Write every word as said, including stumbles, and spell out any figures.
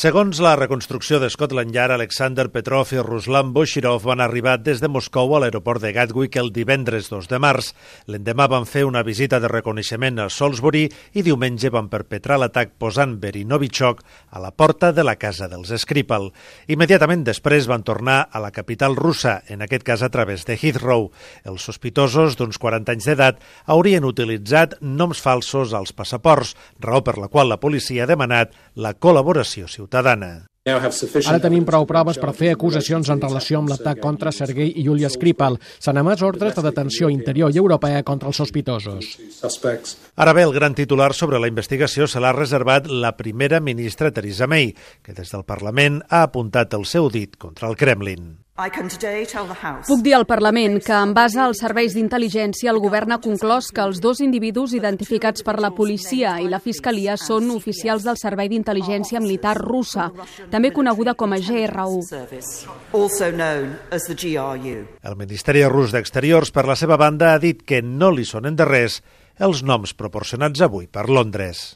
Segons la reconstrucció de Scotland Yard, Alexander Petrov i Ruslan Boshirov van arribar des de Moscou a l'aeroport de Gatwick el divendres dos de març. L'endemà van fer una visita de reconeixement a Salisbury i diumenge van perpetrar l'atac posant Novichok a la porta de la casa dels Skripal. Immediatament després van tornar a la capital russa, en aquest cas a través de Heathrow. Els sospitosos, d'uns quaranta anys d'edat, haurien utilitzat noms falsos als passaports, raó per la qual la policia ha demanat la col·laboració ciutadana. Ara tenim prou proves per fer acusacions en relació amb l'atac contra Sergei i Yulia Skripal. S'han emès ordres de detenció interior i europea contra els sospitosos. Ara bé, el gran titular sobre la investigació se l'ha reservat la primera ministra Theresa May, que des del Parlament ha apuntat el seu dit contra el Kremlin. Puc dir al Parlament que, en base als serveis d'intel·ligència, el govern ha conclòs que els dos individus identificats per la policia i la fiscalia són oficials del Servei d'Intel·ligència Militar russa, també coneguda com a G R U. El Ministeri Rus d'Exteriors, per la seva banda, ha dit que no li sonen de res els noms proporcionats avui per Londres.